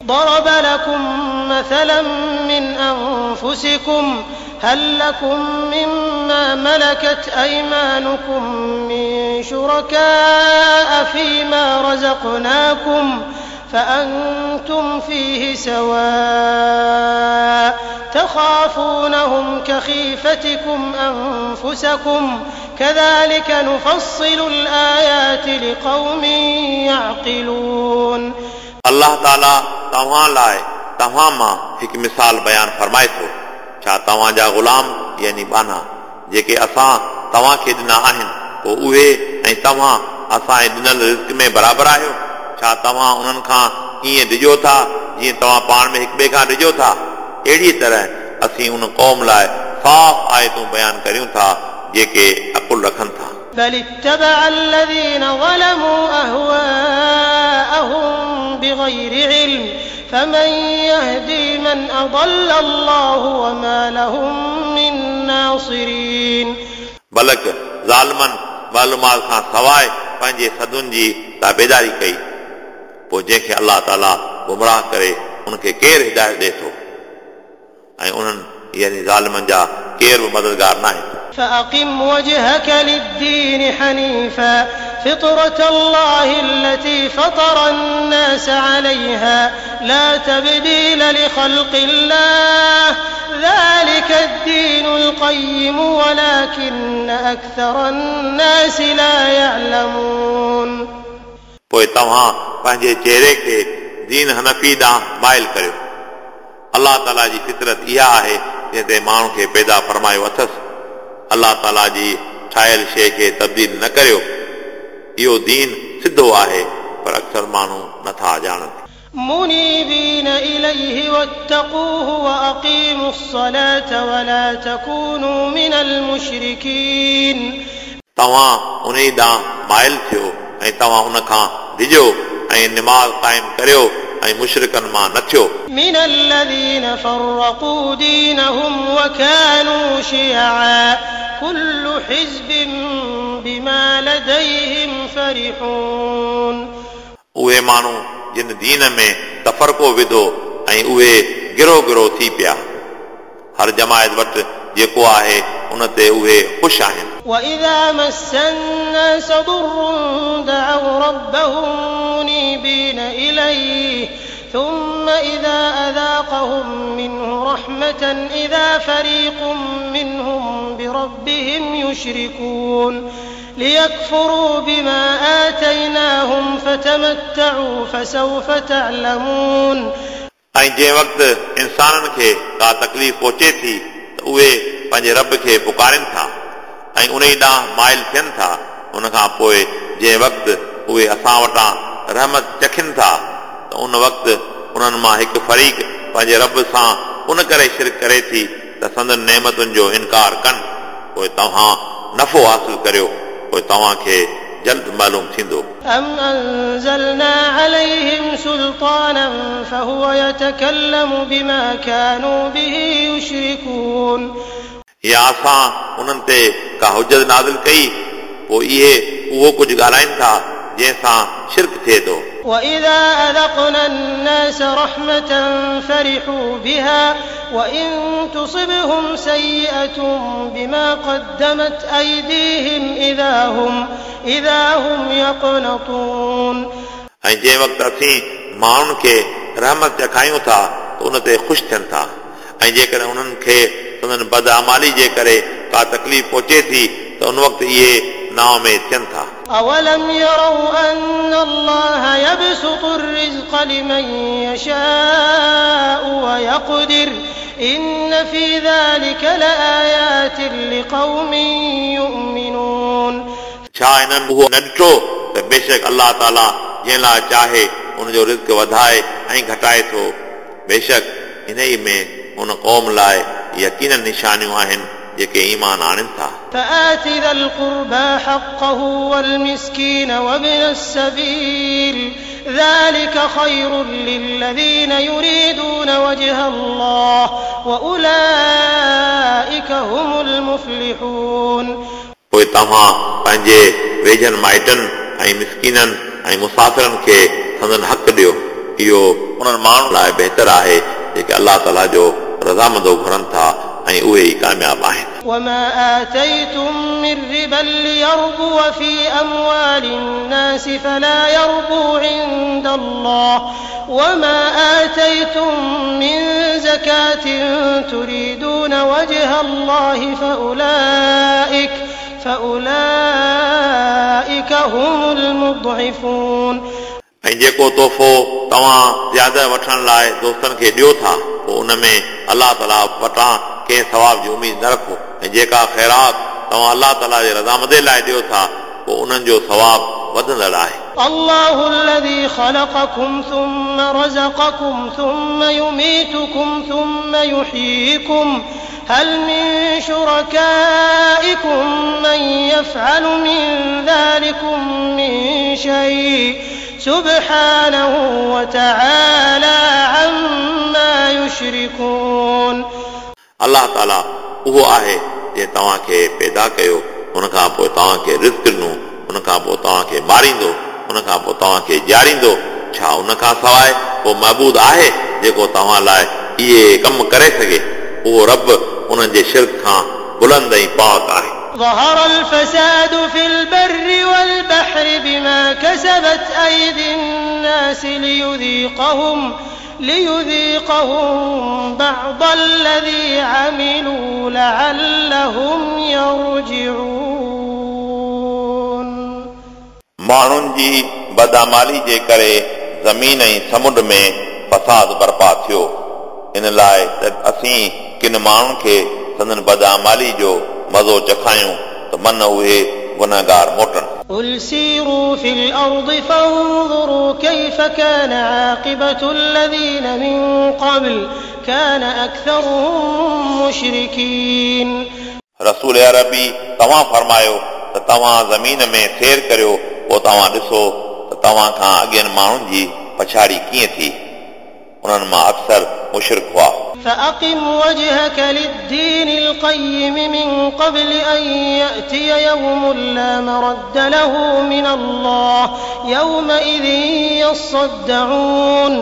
ضرب لكم مثلا من أنفسكم هل لكم مما ملكت أيمانكم من شركاء فيما رزقناكم فأنتم فيه سواء تخافونهم كخيفتكم أنفسكم كذلك نفصل الآيات لقوم يعقلون. अलाह ताला तव्हां लाइ तव्हां मां हिकु मिसाल बयानु फरमाए थो। छा तव्हांजा ग़ुलाम यानी ॿान्हा जेके असां तव्हांखे ॾिना आहिनि, पोइ उहे ऐं तव्हां असांजे ॾिनल रिज़्क में बराबरि आहियो? छा तव्हां उन्हनि खां ईअं डिॼो था जीअं तव्हां पाण में हिक ॿिए खां डिॼो था? अहिड़ी तरह असीं उन क़ौम लाइ साफ़ आयतूं बयानु करियूं था जेके अकुल रखनि था। بل اتبع الذين ظلموا أهواءهم بغير علم فمن يهدي من أضل الله وما لهم من ناصرين. बल्कि ज़ालिमनि मालूमात खां सवाइ पंहिंजे सदुनि जी ताबेदारी कई, पोइ जंहिंखे अलाह ताला गुमराह करे उनखे केरु हिदायत ॾिए थो? ऐं उन्हनि यानी ज़ालिमनि जा केरु बि मददगार न आहिनि। فأقم وجهك للدين حنيفا فطرة الله التي فطر الناس عليها لا تبديل لخلق الله ذلك الدين القيم ولكن أكثر الناس لا يعلمون. पोइ तव्हां पंहिंजे चेहरे खे दीन हनफ़ी ॾांहुं माइल करियो। अलाह ताला जी फितरत इहा आहे जंहिं ते माण्हू खे पैदा फरमायो अथसि। अलाह ताला जी ठाहियल शइ खे तब्दील न करियो। इहो दीन सिधो आहे, पर अक्सर माण्हू नथा ॼाणनि। منيبين إليه واتقوه وأقيموا الصلاة ولا تكونوا من المشركين. तव्हां उन ॾांहुं माइल थियो ऐं तव्हां उन खां डिॼो ऐं निमाज़ क़ाइमु करियो ऐं मुशरिकनि मां न थियो। من الذين فرقوا دينهم وكانوا شيعا كل حزب بما لديهم فرحون. उहे माण्हू जिन दीन में तफ़रको विधो ऐं उहे गिरो गिरो थी पिया, हर जमायत वटि जेको आहे उन ते उहे ख़ुशि आहिनि। وإذا مس الناس ضر دعوا ربهم منيبين إليه ثم إذا أذاقهم منه رحمة إذا فريق منهم بربهم يشركون ليكفروا بما آتيناهم فتمتعوا فسوف تعلمون. ऐं जंहिं वक़्तु इंसाननि खे का तकलीफ़ पहुचे थी त उहे पंहिंजे रब खे पुकारनि था ऐं उन ॾांहुं माइल थियनि था। उन खां पोइ जंहिं वक़्तु उहे असां वटां रहमत चखनि था त उन वक़्तु उन्हनि मां हिकु फरीक पंहिंजे रब सां उन करे शिरक करे थी त संदन नेमतुनि जो इनकार कनि। पोइ तव्हां नफ़ो हासिल करियो, पोइ तव्हांखे जल्द मालूम थींदो। أم أنزلنا عليهم سلطانا فهو يتكلم بما كانوا به يشركون. या असां उन्हनि ते का हुजत नाज़िल कई, पोइ इहे उहो कुझु ॻाल्हाइनि था जंहिंसां शिरक थिए थो। وإذا أذقنا الناس رحمة فرحوا بها وإن تصبهم سيئة بما قدمت أيديهم إذا هم يقنطون. ऐं जंहिं वक़्तु असीं माण्हुनि खे रहमत चखायूं था त उन ते ख़ुशि थियनि था, ऐं जेकॾहिं उन्हनि खे संदन बदआमाली जे करे का तकलीफ़ पहुचे थी त उन वक़्तु इहे नाउमेद थियनि था। أولم يروا أن الله يبسط الرزق لمن يشاء ويقدر إن في ذلك لآيات لقوم يؤمنون. छा हिननि उहो न ॾिठो त बेशक अलाह ताला जंहिं लाइ चाहे उनजो रिज़्क वधाए ऐं घटाए थो। बेशक इन ई में उन क़ौम लाइ यकीनन निशानियूं आहिनि जेके ईमान आणनि था। فآت ذا القربى حقه والمسكين وابن السبيل ذلك خير للذين يريدون وجه الله وأولئك هم المفلحون. पोइ तव्हां पंहिंजे वेझनि माइटनि ऐं मिसकीननि ऐं मुसाफ़िरनि खे संदन हक़ ॾियो। इहो उन्हनि माण्हुनि लाइ बहितर आहे जेके अलाह ताला जो रज़ामंदो घुरनि था ऐं उहे ई कामयाब आहिनि। وما آتيتم من ربا ليربو في أموال الناس فلا يربو عند الله وما آتيتم من زكاة تريدون وجه الله فأولئك هم المضعفون। ऐं जेको तोहफ़ो तव्हां ज़्यादा वठण लाइ दोस्तनि खे ॾियो था पोइ उन में अलाह ताला वटां कंहिं सवाब जी उमेद न रखो ऐं जेका ख़ैरात तव्हां अलाह ताला जे रज़ामंदी लाइ ॾियो था पोइ उन्हनि जो सवाब वधंदड़ आहे। الله الذي خلقكم ثم رزقكم ثم يميتكم ثم يحييكم هل من شركائكم من يفعل من ذلكم من شيء سبحانه وتعالى عما يشركون। अलाह ताला उहो आहे जंहिं तव्हांखे पैदा कयो, उन खां पोइ तव्हांखे रिज़्क ॾिनो, उन खां पोइ तव्हांखे मारींदो, उन खां पोइ तव्हांखे जीआरींदो। छा उन खां सवाइ को महबूद आहे जेको तव्हां लाइ इहे कम करे सघे? उहो रब उन्हनि जे शिरक खां बुलंद ऐं पाक आहे। ظهر الفساد في البر والبحر بما كسبت أيدي الناس ليذيقهم بعض الذي عملوا لعلهم يرجعون। माण्हुनि जी बदआमाली जे करे ज़मीन ऐं समुंड में फसाद बर्पा थियो, इन लाइ त असीं किन माण्हुनि खे संदन बदआमाली जो मज़ो चखायूं त मन उहे गुनहगार मोटनि। قل سيروا في الأرض فانظروا كيف كان عاقبة الذين من قبل كان أكثرهم مشركين। रसूल अरबी तव्हां फरमायो त तव्हां ज़मीन में सैर करियो, पोइ तव्हां ॾिसो त तव्हां खां अॻियनि माण्हुनि जी पछाड़ी कीअं थी। उन्हनि मां अक्सर मुशरिक हुआ। فأقم وجهك للدين القيم من قبل أن يأتي يوم لا مرد له من الله يومئذ يصدعون।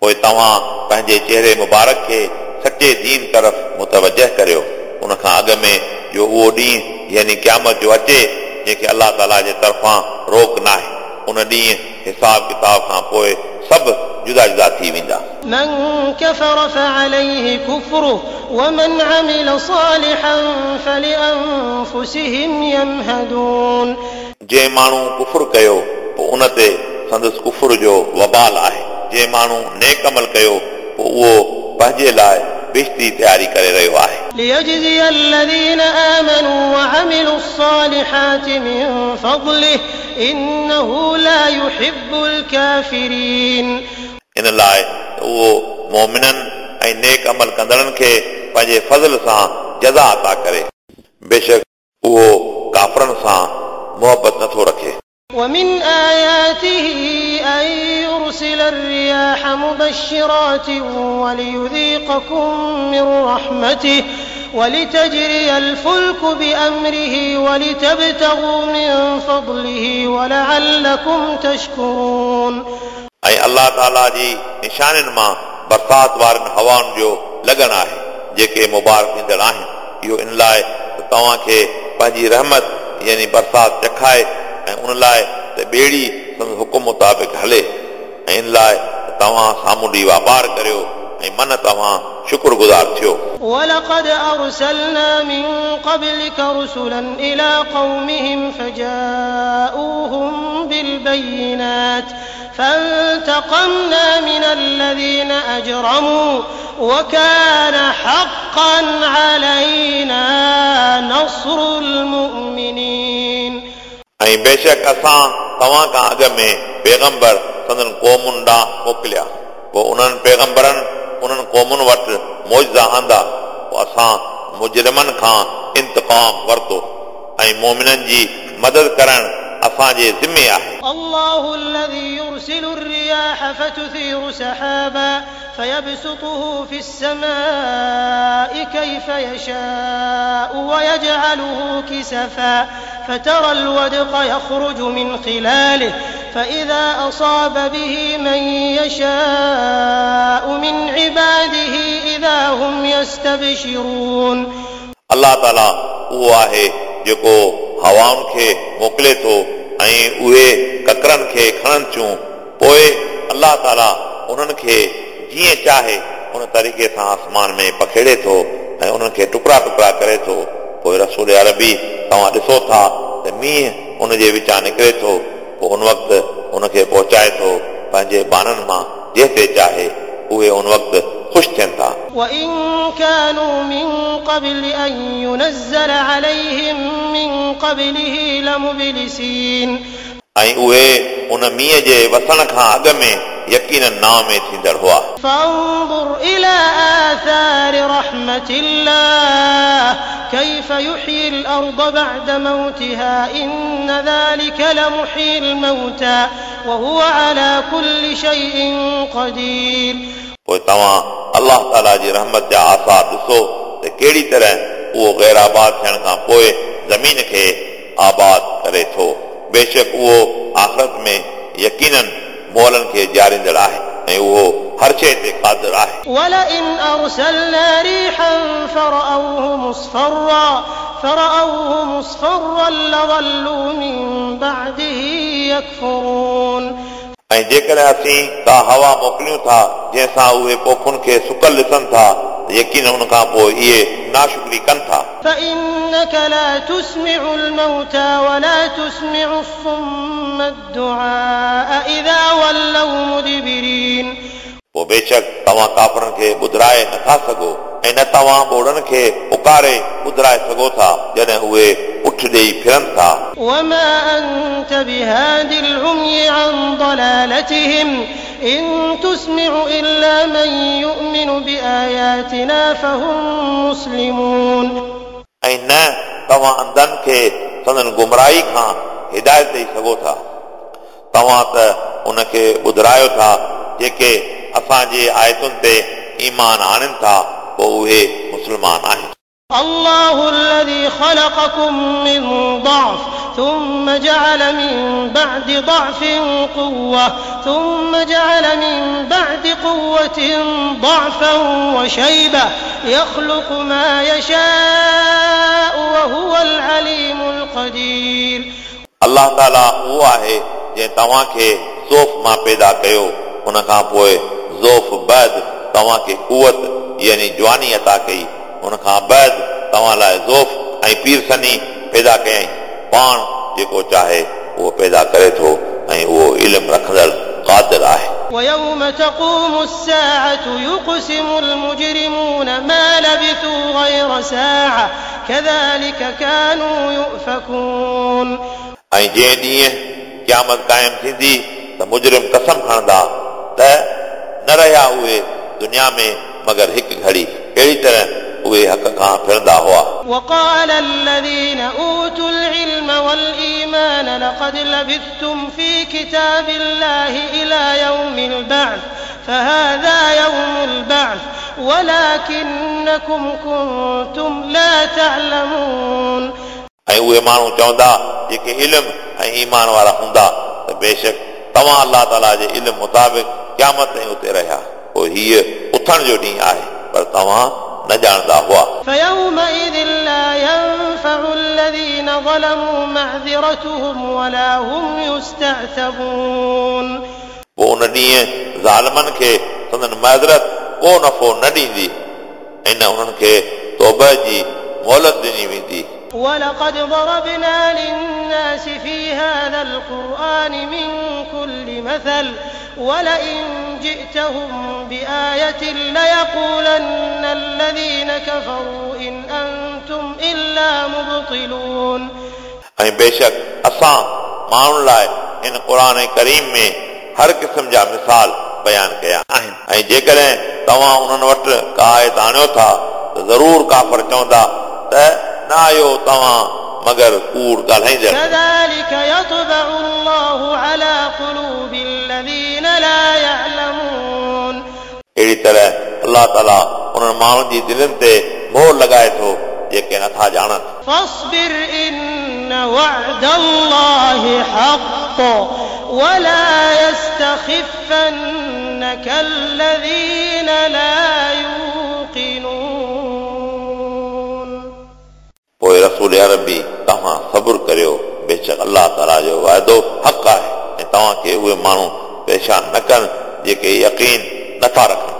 पोइ तव्हां पंहिंजे चेहरे मुबारक खे सचे दीन तरफ़ मुतवजह करियो, उन खां अॻु में जो उहो ॾींहुं यानी क़यामत जो अचे जंहिंखे अलाह ताला जे तरफ़ां रोक न आहे। उन ॾींहुं हिसाब किताब खां पोइ सभु जुदा जुदा थी वेंदा। من كفر فعليه كفره ومن عمل صالحا فلأنفسهم يمهدون। जंहिं माण्हू कुफुर कयो पोइ उन ते संदसि कुफुर जो वबाल आहे, जंहिं माण्हू नेक अमल कयो पोइ उहो पंहिंजे लाइ बेइज़्ज़ती तयारी करे रहियो आहे। ليجزي الذين آمنوا وعملوا الصالحات من فضله إنه لا يحب الكافرين। इन लाइ उहो मोमिननि ऐं नेक अमल कंदड़नि खे पंहिंजे फज़ल सां जज़ा अता करे, बेशक उहो काफ़रनि सां मोहबत नथो रखे। ومن آياته أن يرسل الرياح مبشرات وليذيقكم من رحمته ولتجري الفلك بأمره ولتبتغوا من فضله ولعلكم تشكرون। ऐं अलाह ताला जी निशानियुनि मां बरसात वारनि हवाउनि जो लॻणु आहे जेके मुबारक ॾींदड़ आहिनि। इहो इन लाइ त तव्हांखे पंहिंजी रहमत यानी बरसात चखाए ऐं उन लाइ त ॿेड़ी संदसि हुकुम मुताबिक़ हले ऐं इन लाइ त तव्हां सामुंडी वापार करियो ऐं मन तव्हां शुक्रगुज़ार थियो। ولقد أرسلنا من قبلك رسلا إلى قومهم فجاءوهم بالبينات فانتقمنا من الذين أجرموا وكان حقا علينا نصر المؤمنين। ऐं बेशक असां तव्हां खां अॻु में पैगंबर संदन क़ौमुनि ॾांहुं मोकिलिया, पोइ उन्हनि पैगंबरनि उन्हनि क़ौमुनि वटि मौजज़ा आंदा, पोइ असां मुजरिमनि खां इंतक़ाम वरितो ऐं मोमिननि जी मदद करणु असांजे ज़िमे आहे। الله الذي يرسل الرياح فتثير سحابا فيبسطه في السماء كيف يشاء ويجعله كسفا فترى الودق يخرج من خلاله فإذا أصاب به من يشاء من عباده إذا هم يستبشرون. الله تعالى उहो आहे जेको हवाउनि खे मोकिले थो ऐं उहे ककरनि खे खणनि थियूं, पोइ अलाह ताला उन्हनि खे जीअं चाहे उन तरीक़े सां आसमान में पखेड़े थो ऐं उन्हनि खे टुकड़ा टुकड़ा करे थो। पोइ रसूल अरबी तव्हां ॾिसो था त मींहुं उन जे विचां निकिरे थो, पोइ उन वक़्तु उनखे पहुचाए थो पंहिंजे ॿारनि मां जंहिं ते चाहे, उहे उन वक़्तु ख़ुशि थियनि था। وإن كانوا من قبل أن ينزل عليهم من قبله لمبلسين. ऐं उहे उन मींहुं जे वसण खां अॻु में यकीनन नाव में थींदड़ हुआ। فانظر إلى آثار رحمة الله كيف يحيي الأرض بعد موتها إن ذلك لمحيي الموتى وهو على كل شيء قدير. पोइ तव्हां अलाह ताला जी रहमत जा आसार ॾिसो त कहिड़ी तरह उहो ग़ैर आबाद थियण खां पोइ ज़मीन खे आबाद करे थो। बेशक उहो आख़िरत में यकीनन मोलनि खे ॼारींदड़ आहे ऐं उहो हर शइ ते क़ादिर आहे। ولئن أرسلنا ريحا فرأوه مصفرا لظلوا من بعده يكفرون. ऐं जेकॾहिं असीं का हवा मोकिलियूं था जंहिंसां उहे पोखुनि खे सुकल ॾिसनि था, यकीन उन खां पोइ इहे नाशुक्री कनि था। فإنك لا تسمع الموتى ولا تسمع الصم الدعاء إذا ولوا مدبرين. पोइ बेशक तव्हां काफ़रनि खे ॿुधाए नथा सघो ऐं न तव्हां ॿोड़नि खे पुकारे ॿुधाए सघो था जॾहिं उहे उठ ॾेई फिरनि था। وما أنت بهاد العمي عن ضلالتهم إن تسمع إلا من يؤمن بآياتنا فهم مسلمون. ऐं न तव्हां अंधनि खे संदन गुमराही खां हिदायत ॾेई सघो था, तव्हां त उनखे ॿुधारायो था जेके असांजे आयतुनि ते ईमान आणनि था, पोइ उहे मुस्लमान आहिनि। الله الذي خلقكم من ضعف ثم جعل من بعد ضعف قوة ثم جعل من بعد قوة ضعفا وشيبة يخلق ما يشاء وهو العليم القدير. अलाह ताला उहो आहे जंहिं तव्हांखे ज़ोफ़ मां पैदा कयो, उन खां पोइ ज़ोफ़ बाद तव्हांखे कुवत यानी जवानी अता कई, उन खां बाद तव्हां लाइ ज़ोफ़ ऐं पीरसनी पैदा कयईं। पाण जेको चाहे उहो पैदा करे थो ऐं उहो इल्मु रखंदड़ क़ादिर आहे। ويوم تقوم الساعة يقسم المجرمون ما لبثوا غير ساعة كذلك كانوا يؤفكون. ऐं जंहिं ॾींहुं क़यामत क़ाइमु थींदी त मुजरिम कसम खणंदा त न रहिया उहे दुनिया में मगर हिकु घड़ी, अहिड़ी तरह उहे हक़ खां फिरंदा हुआ। وقال الذين أوتوا العلم والإيمان لقد لبثتم في كتاب الله إلى يوم البعث فهذا يوم البعث ولكنكم كنتم لا تعلمون. ऐं उहे माण्हू चवंदा जेके इल्म ऐं ईमान वारा हूंदा त बेशक तव्हां अलाह ताला जे इल्म मुताबिक़ क़यामत ताईं उते रहिया, पोइ हीअ उथण जो ॾींहुं आहे, पर तव्हां न ॼाणंदा हुआ। فيومئذ لا ينفع الذين ظلموا معذرتهم ولا هم يستعتبون. पोइ उन ॾींहुं ज़ालिमनि खे संदन माज़रत को नफ़ो न ॾींदी ऐं न उन्हनि खे तौबा जी मोहलत ॾिनी वेंदी। ولقد ضربنا للناس في هذا القرآن من كل مثل ولئن جئتهم بآية ليقولن الذين كفروا إن أنتم إلا مبطلون. ऐं बेशक असां माण्हुनि लाइ इन क़ुर करीम में हर क़िस्म जा मिसाल बयान कया आहिनि, ऐं जेकॾहिं तव्हां उन्हनि वटि का आयत आणियो था त ज़रूर काफ़र चवंदा त न आयो तव्हां मगर कूड़ ॻाल्हाईंदड़। كذلك يطبع الله على قلوب الذين لا يعلمون. अहिड़ी तरह अलाह ताला उन्हनि माण्हुनि जी दिलनि ते मोहर लॻाए थो जेके नथा ॼाणनि। فاصبر إن وعد الله حق ولا يستخفنك الذين لا يوقنون. पोइ रसूल अरबी तव्हां सबुरु करियो, बेशक अलाह ताला जो वाइदो हक़ आहे ऐं तव्हांखे उहे माण्हू परेशान न कनि जेके यकीन नथा रखनि।